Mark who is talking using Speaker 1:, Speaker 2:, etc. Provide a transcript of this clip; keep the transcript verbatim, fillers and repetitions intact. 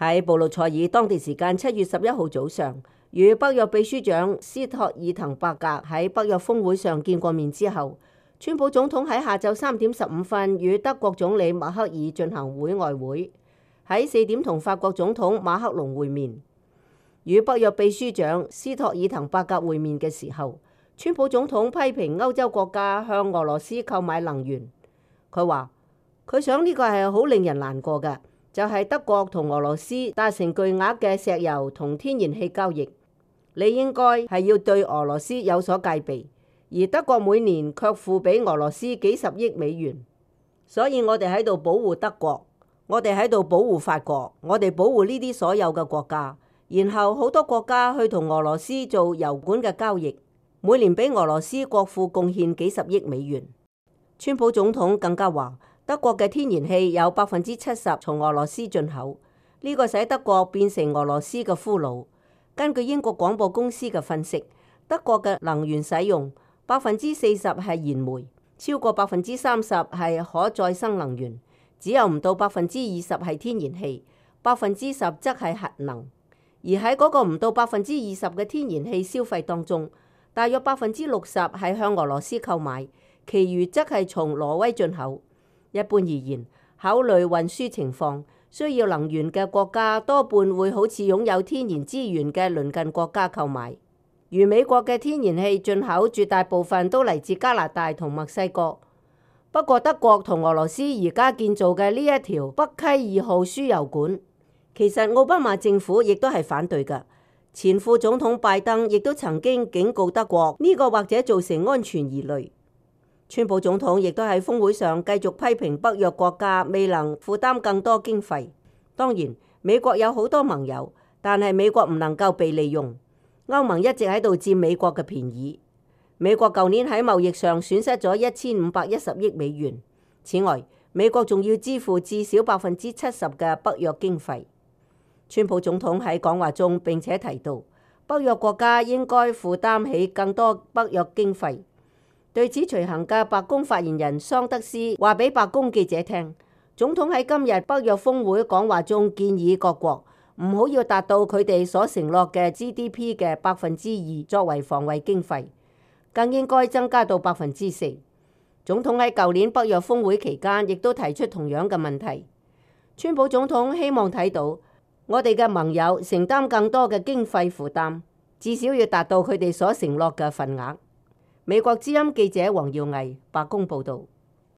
Speaker 1: 喺布魯塞爾當地時間七月十一號早上，與北約秘書長斯托爾滕伯格喺北約峰會上見過面之後，川普總統喺下晝三點十五分與德國總理默克爾進行會外會，喺四點同法國總統馬克龍會面。與北約秘書長斯托爾滕伯格會面嘅時候，川普總統批評歐洲國家向俄羅斯購買能源。佢話佢想呢個係好令人難過嘅，就係德國同俄羅斯達成巨額嘅石油同天然氣交易，你應該係要對俄羅斯有所戒備，而德國每年卻付俾俄羅斯幾十億美元，所以我哋喺度保護德國，我哋喺度保護法國，我哋保護呢啲所有嘅國家，然後好多國家去同俄羅斯做油管嘅交易，每年俾俄羅斯國庫貢獻幾十億美元。川普總統更加話，德國嘅天然氣有百分之七十從俄羅斯進口，呢個使德國變成俄羅斯嘅俘虜。根據英國廣播公司嘅分析，德國嘅能源使用百分之四十係燃煤，超過百分之三十係可再生能源，只有唔到百分之二十係天然氣，百分之十則係核能。而喺嗰個唔到百分之二十嘅天然氣消費當中，大約百分之六十係向俄羅斯購買，其餘則係從挪威進口。一般而言，考慮運輸情況，需要能源嘅國家多半會好似擁有天然資源嘅鄰近國家購買。如美國嘅天然氣進口絕大部分都嚟自加拿大同墨西哥。不過德國同俄羅斯而家建造嘅呢一條北溪二號輸油管，其實奧巴馬政府亦都係反對㗎。前副總統拜登亦都曾經警告德國，呢個或者造成安全疑慮。川普總統亦都喺峰會上繼續批評北約國家未能負擔更多經費。當然，美國有好多盟友，但係美國唔能夠被利用。歐盟一直喺度佔美國嘅便宜。美國舊年喺貿易上損失咗一千五百一十億美元。此外，美國仲要支付至少百分之七十嘅北約經費。川普總統喺講話中並且提到，北約國家應該負擔起更多北約經費。對此隨行嘅白宮發言人桑德斯話俾白宮記者聽，總統喺今日北約峰會講話中建議各國唔好要達到佢哋所承諾嘅 G D P 嘅百分之二作為防衛經費，更應該增加到百分之四。總統喺舊年北約峰會期間亦都提出同樣嘅問題。川普總統希望睇到我哋嘅盟友承擔更多嘅經費負擔，至少要達到佢哋所承諾嘅份額。美國之音記者黃耀毅，白宮報導。